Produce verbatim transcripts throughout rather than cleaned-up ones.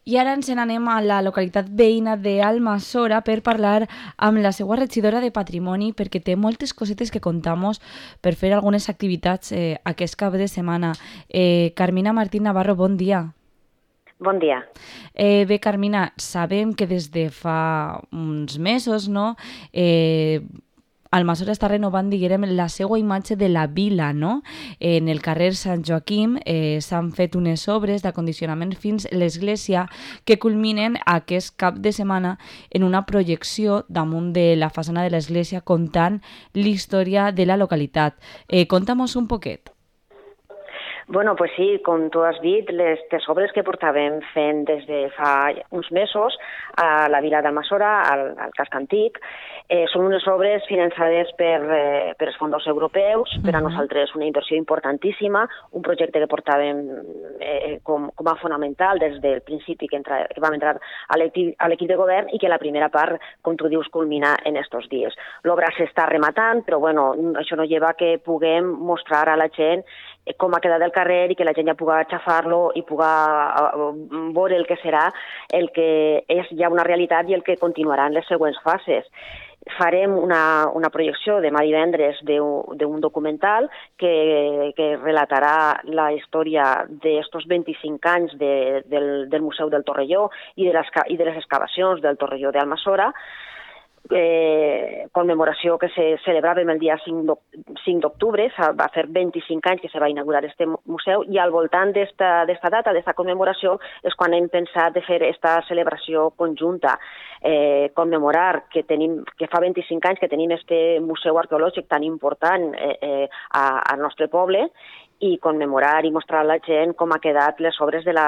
I ara ens n'anem a la localitat veïna d'Almassora per parlar amb la seva regidora de Patrimoni, perquè té moltes cosetes que contamos per fer algunes activitats eh, aquest cap de setmana. Eh, Carmina Martín Navarro, bon dia. Bon dia. Eh, bé, Carmina, sabem que des de fa uns mesos, no?, eh, Almassora està renovant, diguem, la seva imatge de la vila, no? En el carrer Sant Joaquim eh, s'han fet unes obres d'acondicionament fins a l'església que culminen aquest cap de setmana en una projecció damunt de la façana de l'església contant l'història de la localitat. Eh, Conta'm-nos un poquet. Bueno, pues sí, com tu has dit, les, les obres que portàvem fent des de fa uns mesos a la vila d'Almassora, al, al casc antic, eh, són unes obres finançades per, eh, per els fons europeus, per a nosaltres una inversió importantíssima, un projecte que portàvem eh, com, com a fonamental des del principi que, entra, que vam entrar a l'equip de govern i que la primera part, com tu dius, culmina en estos dies. L'obra s'està rematant, però bueno, això no lleva que puguem mostrar a la gent com ha quedat el carrer i que la gent ja pugui aixafar-lo i pugui veure el que serà, el que és ja una realitat i el que continuarà en les següents fases. Farem una, una projecció demà divendres d'un documental que, que relatarà la història d'estos vint-i-cinc anys de, del, del Museu del Torrelló i de les, i de les excavacions del Torrelló d'Almassora, Eh, conmemoració que se celebrava el dia cinc d'octubre, va fer vint-i-cinc anys que se va inaugurar este museu i al voltant d'esta data, d'esta commemoració, és quan hem pensat de fer aquesta celebració conjunta, eh, commemorar que, tenim, que fa vint-i-cinc anys que tenim este museu arqueològic tan important eh, eh, al nostre poble i commemorar i mostrar a la gent com ha quedat les obres de la,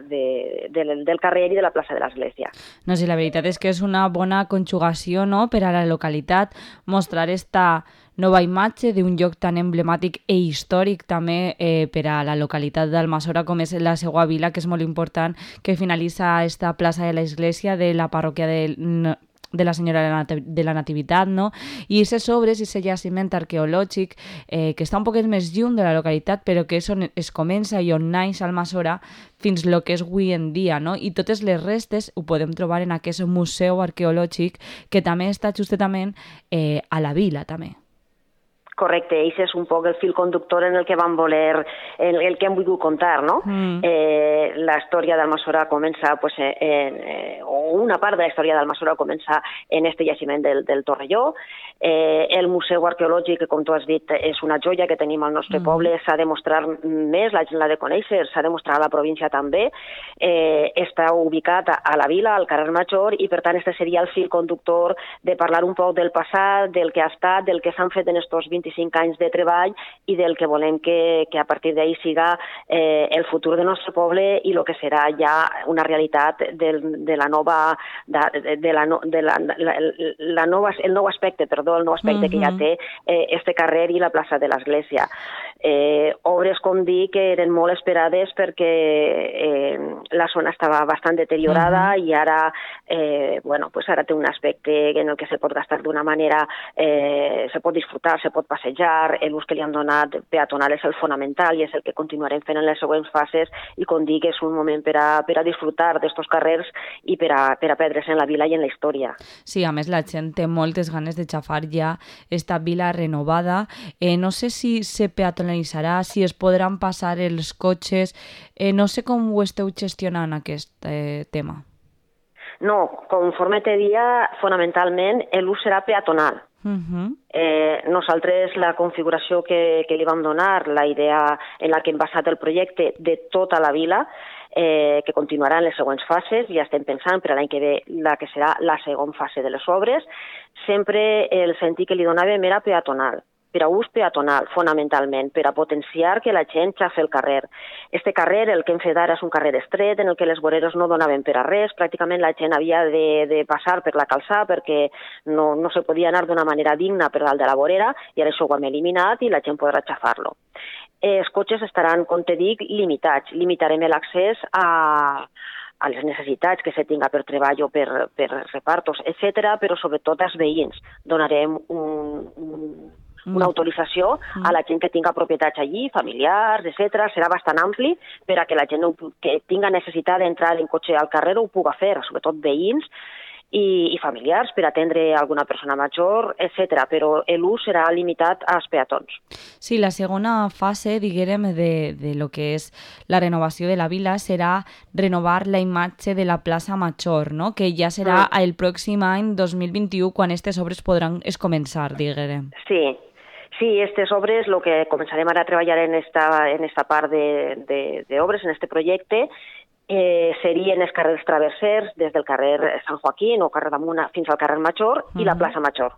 de, de, del carrer i de la plaça de l'Església. No, sí, la veritat és que és una bona conjugació, no?, per a la localitat, mostrar esta nova imatge d'un lloc tan emblemàtic i històric també eh, per a la localitat d'Almassora com és la seva vila, que és molt important, que finalitza esta plaça de l'Església de la parròquia de... de la Senyora de la Nativitat, no? I aquestes obres, aquest jaciment arqueològic eh, que està un poquet més lluny de la localitat, però que és on es comença i on naix Almassora fins lo que és avui en dia, no? I totes les restes ho podem trobar en aquest museu arqueològic que també està justament eh, a la vila, també. Correcte, i és un poc el fil conductor en el que vam voler, en el que hem volgut contar, no? Mm. Eh, la història d'Almassora comença, pues, en, eh, o una part de la història d'Almassora comença en este jaciment del, del Torrelló. Eh, el museu arqueològic, que com tu has dit, és una joia que tenim al nostre mm. poble, s'ha de mostrar més, la gent l'ha de conèixer, s'ha de mostrar a la província també. Eh, està ubicat a, a la vila, al carrer Major, i per tant este seria el fil conductor de parlar un poc del passat, del que ha estat, del que s'han fet en estos vint-i-cinc anys de treball i del que volem que, que a partir d'ahir siga eh, el futur del nostre poble i el que serà ja una realitat de, de la nova, de, de la, de la, la, la nova, el nou aspecte, perdó, el nou aspecte uh-huh. que ja té eh, este carrer i la plaça de l'Església. Eh, obres, com dic, que eren molt esperades perquè eh, la zona estava bastant deteriorada uh-huh. i ara, eh, bueno, pues ara té un aspecte en el que se pot gastar d'una manera, eh, se pot disfrutar, se pot passejar, l'ús que li han donat peatonal és el fonamental i és el que continuarem fent en les següents fases i, com dic, és un moment per a, per a disfrutar d'estos carrers i per a, per a perdre's en la vila i en la història. Sí, a més la gent té moltes ganes de xafar ja esta vila renovada. Eh, no sé si se peatonalitzarà, si es podran passar els cotxes, eh, no sé com ho esteu gestionant aquest eh, tema. No, conforme te dia, fonamentalment l'ús serà peatonal. Uh-huh. Eh, nosaltres la configuració que, que li vam donar, la idea en la que hem basat el projecte de tota la vila, eh, que continuarà en les següents fases, ja estem pensant per a l'any que ve la que serà la segona fase de les obres, sempre el sentit que li donàvem era peatonal. Per a ús peatonal, fonamentalment, per a potenciar que la gent xafi el carrer. Este carrer, el que hem fet ara, és un carrer estret en el que les voreres no donaven per a res, pràcticament la gent havia de, de passar per la calçada perquè no, no se podia anar d'una manera digna per dalt de la vorera i ara això ho hem eliminat i la gent podrà xafar-lo. Els cotxes estaran, com te dic, limitats. Limitarem l'accés a... a les necessitats que se tinga per treball o per, per repartos, etcètera, però sobretot als veïns. Donarem un, un una autorització a la gent que tinga propietats allí, familiars, etcètera. Serà bastant ampli per a que la gent que tinga necessitat d'entrar en cotxe al carrer ho puga fer, sobretot veïns i, i familiars per atendre alguna persona major, etcètera. Però l'ús serà limitat als peatons. Sí, la segona fase, diguem, de, de lo que és la renovació de la vila serà renovar la imatge de la plaça Major, no? Que ja serà mm. el pròxim any dos mil vint-i-u quan aquestes obres podran es començar, diguem. Sí, sí, aquestes obres, el que començarem ara a treballar en esta, en esta part d'obres, en este projecte, Eh, serien els carrers traversers des del carrer Sant Joaquín o carrer d'Amuna fins al carrer Major uh-huh. i la plaça Major.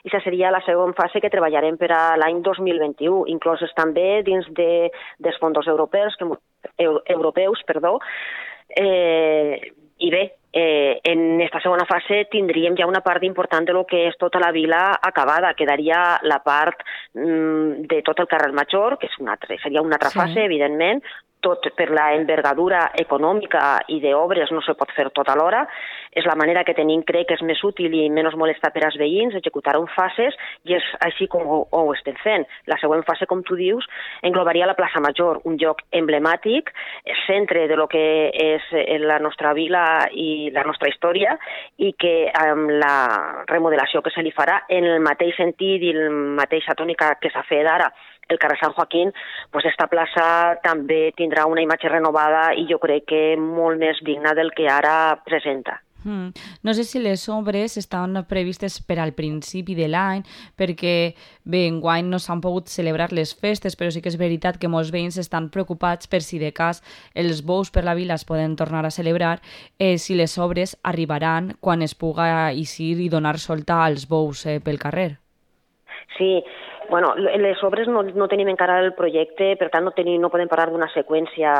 I aquesta seria la segona fase que treballarem per a l'any dos mil vint-i-u, incloses també dins de, dels fons europeus, que, eu, europeus perdó. Eh, I bé, eh, en aquesta segona fase tindríem ja una part important de lo que és tota la vila acabada. Quedaria la part mm, de tot el carrer Major, que és una altra, seria una altra sí. fase, evidentment, tot per la envergadura econòmica i d'obres no se pot fer tot alhora. És la manera que tenim, crec que és més útil i menys molesta per als veïns, executar-ho en fases, i és així com ho, ho estem fent. La següent fase, com tu dius, englobaria la plaça Major, un lloc emblemàtic, centre de lo que és la nostra vila i la nostra història, i que amb la remodelació que se li farà, en el mateix sentit i la mateixa tònica que s'ha fet ara, el carrer Sant Joaquín, pues esta plaça també tindrà una imatge renovada i jo crec que molt més digna del que ara presenta. Mm. No sé si les obres estan previstes per al principi de l'any, perquè bé, enguany no s'han pogut celebrar les festes, però sí que és veritat que molts veïns estan preocupats per si de cas els bous per la vila es poden tornar a celebrar, eh, si les obres arribaran quan es puga eixir i donar solta als bous eh, pel carrer. Sí, bueno, les obres no, no tenim encara el projecte, per tant no, tenim, no podem parlar d'una seqüència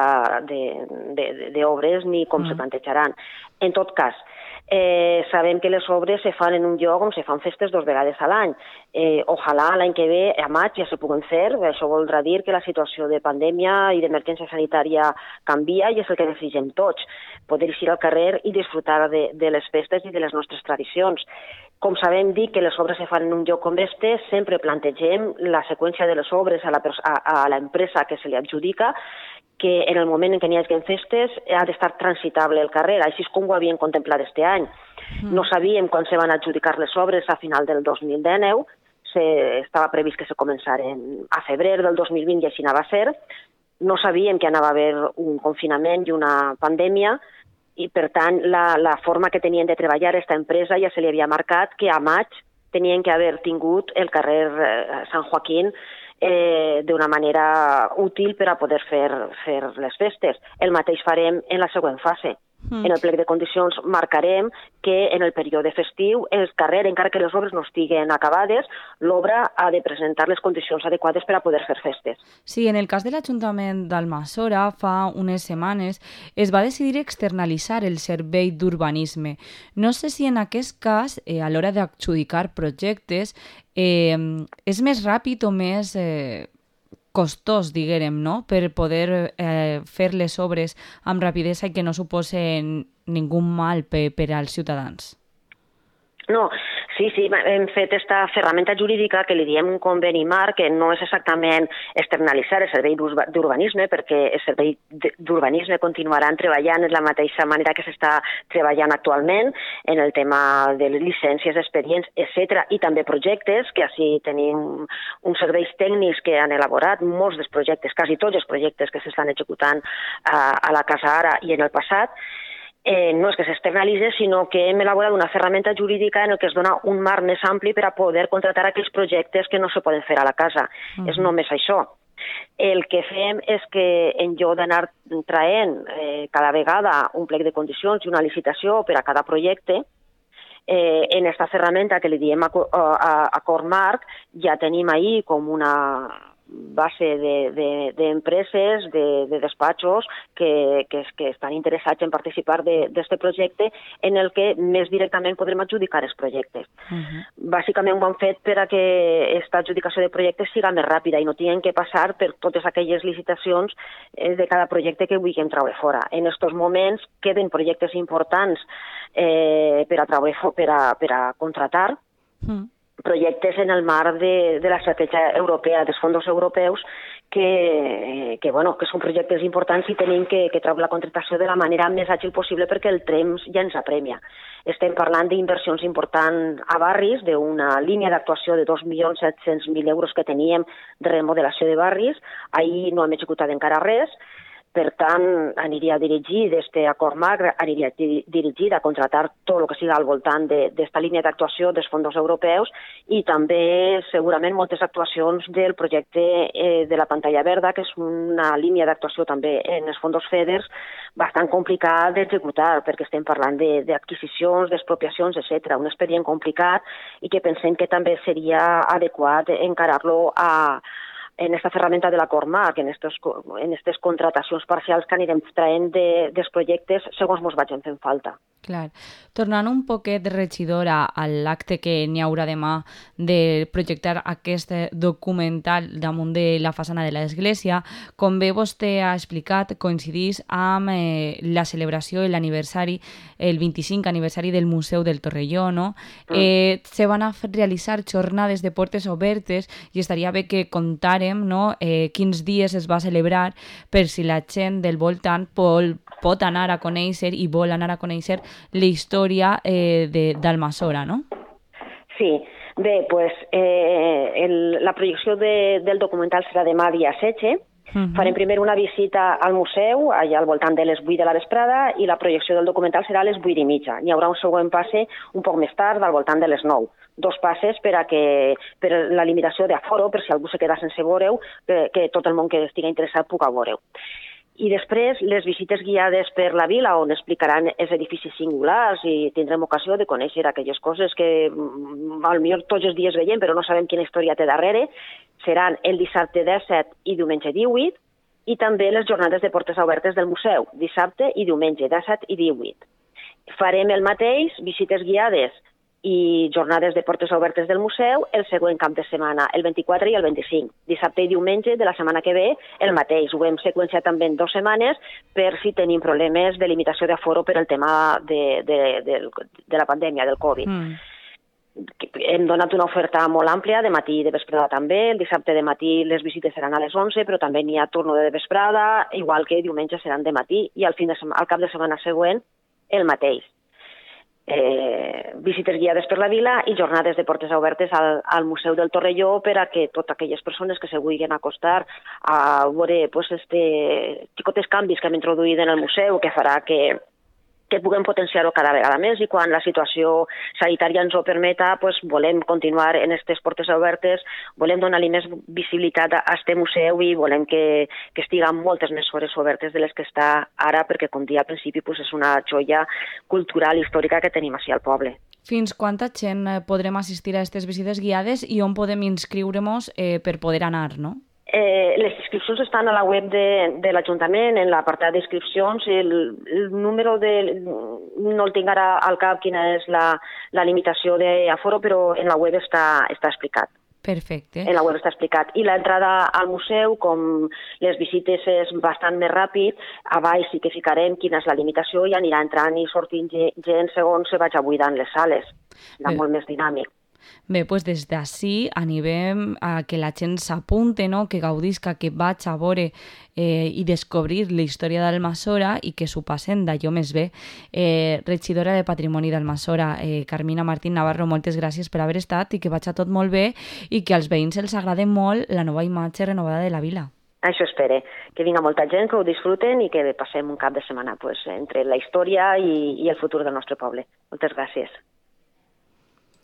d'obres ni com mm. se plantejaran. En tot cas, eh, sabem que les obres se fan en un lloc on se fan festes dos vegades a l'any. Eh, ojalà l'any que ve, a maig, ja se puguen fer. Això voldrà dir que la situació de pandèmia i d'emergència sanitària canvia i és el que desitgem tots, poder eixir al carrer i disfrutar de, de les festes i de les nostres tradicions. Com sabem dir que les obres se fan en un lloc com este, sempre plantegem la seqüència de les obres a, la, a, a l'empresa que se li adjudica, que en el moment en què n'hi hagi festes ha d'estar transitable el carrer, així és com ho havien contemplat este any. Mm. No sabíem quan se van adjudicar les obres a final del dos mil dinou, se, estava previst que se començaren a febrer del dos mil vint i així anava a ser. No sabíem que anava a haver un confinament i una pandèmia, i per tant la, la forma que tenien de treballar aquesta empresa ja se li havia marcat que a maig tenien que haver tingut el carrer eh, Sant Joaquín eh, d'una manera útil per a poder fer, fer les festes. El mateix farem en la següent fase. Mm. En el plec de condicions marcarem que en el període festiu el carrer, encara que les obres no estiguen acabades, l'obra ha de presentar les condicions adequades per a poder fer festes. Sí, en el cas de l'Ajuntament d'Almassora, fa unes setmanes, es va decidir externalitzar el servei d'urbanisme. No sé si en aquest cas, eh, a l'hora d'adjudicar projectes, eh, és més ràpid o més... Eh, costós, diguérem, no? Per poder eh, fer les obres amb rapidesa i que no suposen ningú mal per, per als ciutadans. No, sí, sí, hem fet aquesta ferramenta jurídica que li diem un conveni marc, que no és exactament externalitzar el servei d'urbanisme, perquè el servei d'urbanisme continuaran treballant de la mateixa manera que s'està treballant actualment en el tema de llicències, expedients, etcètera, i també projectes, que així tenim uns serveis tècnics que han elaborat molts dels projectes, quasi tots els projectes que s'estan executant a, a la Casa Ara i en el passat. Eh, no és que s'externalitzi, sinó que hem elaborat una ferramenta jurídica en el que es dona un marc més ampli per a poder contratar aquells projectes que no se poden fer a la casa. Uh-huh. És només això. El que fem és que en lloc d'anar traient eh, cada vegada un plec de condicions i una licitació per a cada projecte, eh, en aquesta ferramenta que li diem acord marc, ja tenim ahí com una base d'empreses, de, de, de, de despatxos que, que, que estan interessats en participar d'aquest projecte en el que més directament podrem adjudicar els projectes. Uh-huh. Bàsicament ho han fet per a que aquesta adjudicació de projectes siga més ràpida i no tinguin que passar per totes aquelles licitacions eh, de cada projecte que vulguem treure fora. En aquests moments queden projectes importants eh, per, a treure, per, a, per a contratar, uh-huh. projectes en el marc de, de l'estratègia europea, dels fons europeus, que, que, bueno, que són projectes importants i tenim que, que treure la contractació de la manera més àgil possible perquè el temps ja ens apremia. Estem parlant d'inversions importants a barris, d'una línia d'actuació de dos milions set-cents mil euros que teníem de remodelació de barris. Ahir no hem executat encara res. Per tant, aniria dirigit, este acord macro, aniria dirigit a contratar tot el que siga al voltant d'esta línia d'actuació dels fons europeus i també segurament moltes actuacions del projecte eh, de la pantalla verda, que és una línia d'actuació també en els fons FEDER bastant complicat d'executar, perquè estem parlant d'adquisicions, d'expropiacions, etcètera. Un expedient complicat i que pensem que també seria adequat encarar-lo a en aquesta ferramenta de l'acord marc, en aquestes contratacions parcials que anirem traient de, dels projectes segons ens vagin fent falta. Clar. Tornant un poquet, regidora, a l'acte que n'hi haurà demà de projectar aquest documental damunt de la façana de l'església, com bé vostè ha explicat, coincidís amb eh, la celebració i l'aniversari, el vint-i-cinquè aniversari del Museu del Torrelló, no? Mm. Eh, se van a realitzar jornades de portes obertes i estaria bé que contàrem, no?, eh, quins dies es va celebrar per si la gent del voltant pot, pot anar a conèixer i vol anar a conèixer la història eh, d'Almassora, no? Sí, bé, pues, eh, el, la projecció de, del documental serà demà dia setze. Uh-huh. Farem primer una visita al museu, allà al voltant de les vuit de la vesprada, i la projecció del documental serà a les vuit i mitja. N'hi haurà un següent passe un poc més tard, al voltant de les nou. Dos passes per a que, per la limitació d'aforo, per si algú se queda sense veure-ho, que, que tot el món que estigui interessat puga veure-ho. I després, les visites guiades per la vila, on explicaran els edificis singulars i tindrem ocasió de conèixer aquelles coses que potser tots els dies veiem, però no sabem quina història té darrere, seran el dissabte disset i diumenge divuit, i també les jornades de portes obertes del museu, dissabte i diumenge, disset i divuit. Farem el mateix, visites guiades i jornades de portes obertes del museu el següent cap de setmana, el vint-i-quatre i el vint-i-cinc. Dissabte i diumenge de la setmana que ve el mateix. Ho hem seqüenciat també en dues setmanes per si tenim problemes de limitació d'aforo per el tema de, de, de, de la pandèmia, del Covid. Mm. Hem donat una oferta molt àmplia, de matí i de vesprada també. El dissabte de matí les visites seran a les onze, però també n'hi ha torno de vesprada, igual que diumenge seran de matí i al, fin de al cap de setmana següent el mateix. Eh, visites guiades per la vila i jornades de portes obertes al, al Museu del Torrelló per a que totes aquelles persones que se vulguin acostar a veure pues, este xicotes canvis que hem introduït en el museu que farà que, que puguem potenciar-ho cada vegada més i quan la situació sanitària ens ho permeta, pues, volem continuar en aquestes portes obertes, volem donar-li més visibilitat a aquest museu i volem que, que estigui moltes més hores obertes de les que està ara, perquè, com dia al principi, pues, és una joia cultural i històrica que tenim així al poble. Fins quanta gent podrem assistir a aquestes visites guiades i on podem inscriure-nos eh, per poder anar, no? Eh, les inscripcions estan a la web de, de l'Ajuntament, en l'apartat d'inscripcions. El, el número de... no el tinc ara al cap quina és la, la limitació d'aforo, però en la web està, està explicat. Perfecte. En la web està explicat. I l'entrada al museu, com les visites és bastant més ràpid, a baix sí que ficarem quina és la limitació i anirà entrant i sortint gent segons se vaig buidant les sales. Serà molt més dinàmic. Bé, doncs des d'ací animem a que la gent s'apunte, no? Que gaudisca, que vaig a veure eh, i descobrir la història d'Almassora i que s'ho passen d'allò més bé. Eh, regidora de Patrimoni d'Almassora, eh, Carmina Martín Navarro, moltes gràcies per haver estat i que vaig a tot molt bé i que als veïns els agrada molt la nova imatge renovada de la vila. Això espere, que vinga molta gent, que ho disfruten i que passem un cap de setmana pues, entre la història i, i el futur del nostre poble. Moltes gràcies.